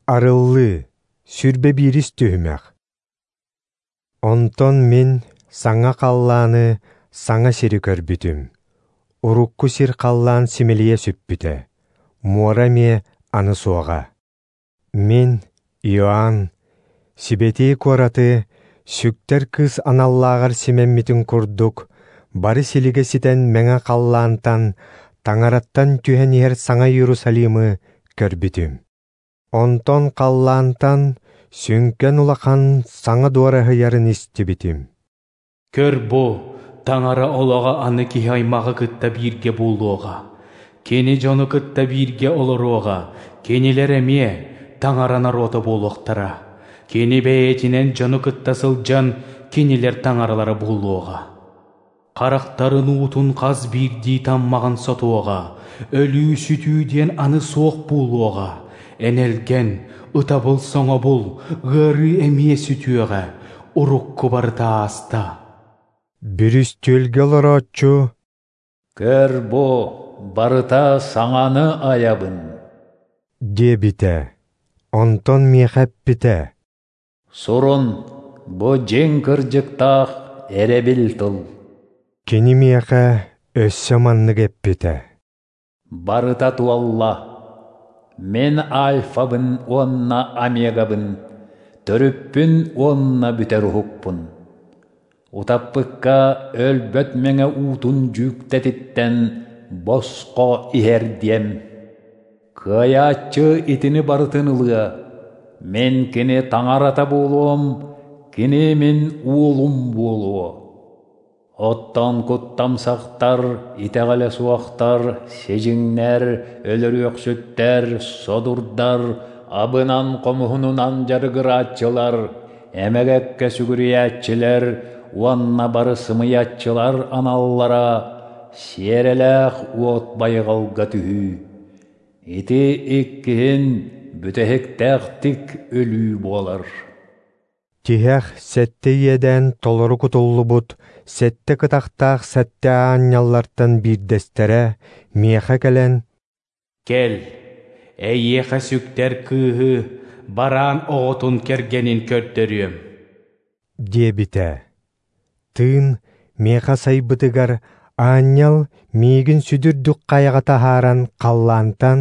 Арыллыы, 21-ис түһүмэх. Онтон мин саҥа халлааны, саҥа сири көрбүтүм. Урукку сир халлаан симэлийэ сүппүтэ, муора эмиэ аны суоҕа. Мин, Иоанн, сибэтиэй куораты, сүктэр кыыс аналлааҕар симэммитин курдук, бары силигэ ситэн мэҥэ халлаантан, Таҥараттан түһэн иһэр саҥа Иерусалимы көрбүтүм. Онтон халлаантан сүҥкэн улахан саҥа дуораһыйарын истибитим. Көр бу, Таҥара олоҕо аны киһи аймаҕы кытта бииргэ буолуоҕа. Кини дьону кытта бииргэ олоруоҕа, кинилэр эмиэ Таҥара норуота буолуохтара. Кини бэйэтинэн дьону кытта сылдьан, кинилэр Таҥаралара буолуоҕа. Харахтарын уутун хас биирдии таммаҕын сотуоҕа, өлүү-сүтүү диэн аны суох буолуоҕа. Энэлгэн, ытабыл-соҥобул, ыарыы эмиэ сүтүөҕэ, урукку барыта ааста. Бүрүстүөлгэ олорооччу «Көр бу, барыта саҥаны айабын» диэбитэ. Онтон миэхэ эппитэ: «Сурун, бу дьиҥ кырдьыктаах эрэбил тыл». Кини миэхэ өссө маннык эппитэ: «Барыта туолла. Мин Альфабын уонна Омегабын, төрүппүн уонна бүтэр уһукпун. Утаппыкка өлбөт мэҥэ уутун дьүүктэтиттэн босхо иһэрдиэм. Кыайааччы итини барытын ылыа. Мин кини Таҥарата буолуом, кини мин уолум буолуо. Оттон куттамсахтар, итэҕэлэ суохтар, сидьиҥнэр, өлөрүөхсүттэр, содурдар, абынан-хомуһунунан дьарыгырааччылар, эмэгэккэ сүгүрүйээччилэр уонна бары сымыйаччылар аналлара сиэрэлээх уот байҕалга түһүү. Ити иккиһин бүтэһиктээхтик өлүү буолар». Тиһэх сэттэ иэдээн толору кутуллубут сэттэ кытахтаах сэттэ аанньаллартан биирдэстэрэ миэхэ кэлэн, «Кэл, эйиэхэ сүктэр кыыһы, бараан оҕотун кэргэнин көрдөрүөм» диэбитэ. Тыын миэхэ сайбытыгар аанньал миигин сүдүрдүк хайаҕа таһааран халлаантан,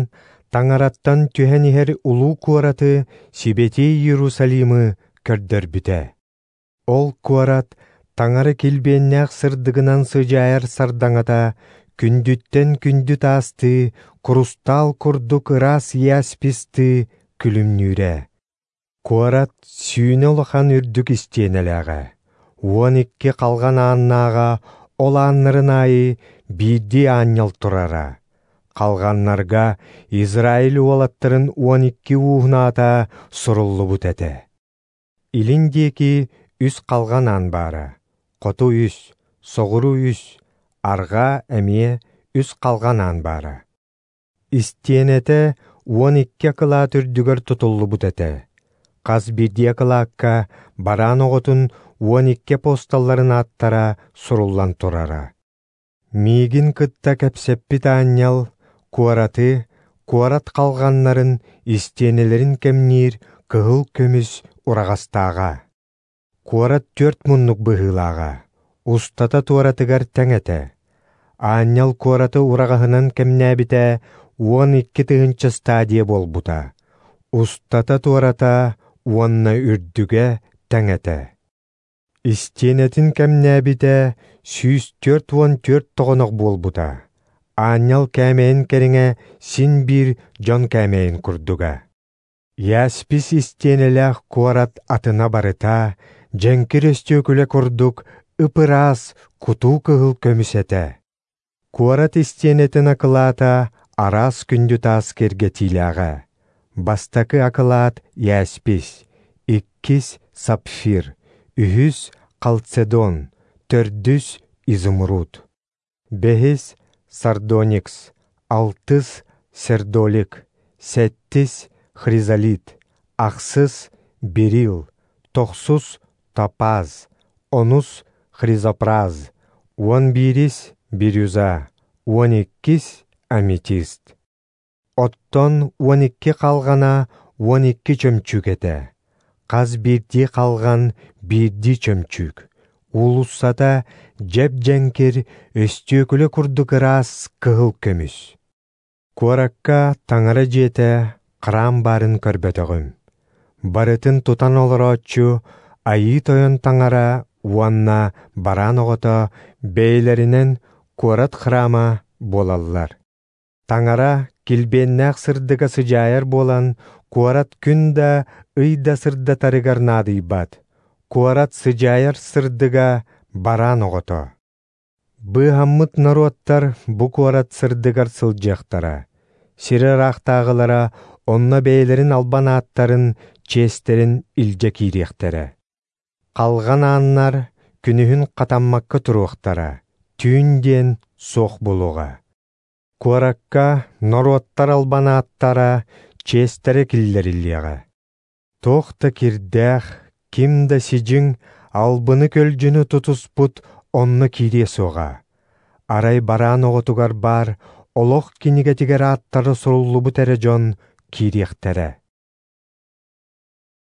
Таҥараттан түһэн иһэр улуу куораты сибэтиэй Иерусалимы көрдөрбүтэ. Ол куорат Таҥара килбиэннээх сырдыгынан сыдьаайар сардаҥата күндүттэн күндү таастыы, курустаал курдук ыраас яспистыы күлүмнүүрэ. Куорат сүүнэ улахан үрдүк истиэнэлээҕэ, 12 халҕан ааннааҕа, ол ааннарын аайы биирдии аанньал турара. Халҕаннарга Израиль уолаттарын 12 ууһун аата суруллубут этэ. Илин диэки 3 халҕан аан баара, хоту 3, соҕуруу 3, арҕаа эмиэ 3 халҕан аан баара. Истиэнэтэ 12 акылаат үрдүгэр тутуллубут этэ. Хас биирдии акылаакка бараан оҕотун 12 апостолларын ааттара суруллан турара. Миигин кытта кэпсэппит аанньал куораты, куорат халҕаннарын, истиэнэлэрин кэмниир кыһыл көмүс ураҕастааҕа. Куорат 4 муннук быһыылааҕа, устата туоратыгар тэҥ этэ. Аанньал куораты ураҕаһынан кэмнээбитэ 12 тыһыынча стадия буолбута. Устата туората уонна үрдүгэ тэҥ этэ. Истиэнэтин кэмнээбитэ 144 тоҕонох буолбута. Аанньал кээмэйин кэриҥэ син биир дьон кээмэйин курдуга. Яспис истиэнэлээх куорат атына барыта дьэҥкир өстүөкүлэ курдук ып-ыраас кутуу кыһыл көмүс этэ. Куорат истиэнэтин акылаата араас күндү таас киэргэтиилээҕэ. Бастакы акылаат яспис, иккис сапфир, үһүс халцедон, төрдүс изумруд, бэһис сардоникс, алтыс сердолик, сэттис хризолит, ахсыс берил, тохсус топаз, онус хризопраз, 11 бирюза, 12 аметист. Оттон 12 халҕана 12 чөмчүүк этэ. Хас биирдии халҕан биирдии чөмчүүк. Уулуссата дьэп-дьэҥкир, өстүөкүлэ курдук ыраас кыһыл көмүс. Куоракка Таҥара дьиэтэ храм баарын көрбөтөҕүм. Барытын тутан олорооччу Айыы Тойон Таҥара уонна Бараан оҕото бэйэлэринэн куорат храма буолаллар. Таҥара килбиэннээх сырдыга сыдьаайар буолан, куорат күн да, ый да сырдатарыгар наадыйбат. Куорат сыдьаайар сырдыга Бараан оҕото. Быыһаммыт норуоттар бу куорат сырдыгар сылдьыахтара. Сир ыраахтааҕылара онно бэйэлэрин албан ааттарын, чиэстэрин илдьэ киириэхтэрэ. Халҕан ааннар күнүһүн хатаммакка туруохтара, түүн диэн суох буолуоҕа. Куоракка норуоттар албан ааттара, чиэстэрэ киллэриллиэҕэ. Туох да кирдээх, ким да сидьиҥ, албыны-көлдьүнү тутуспут онно киириэ суоҕа. Арай бараан оҕотугар баар олох кинигэтигэр ааттара суруллубут эрэ дьон киириэхтэрэ.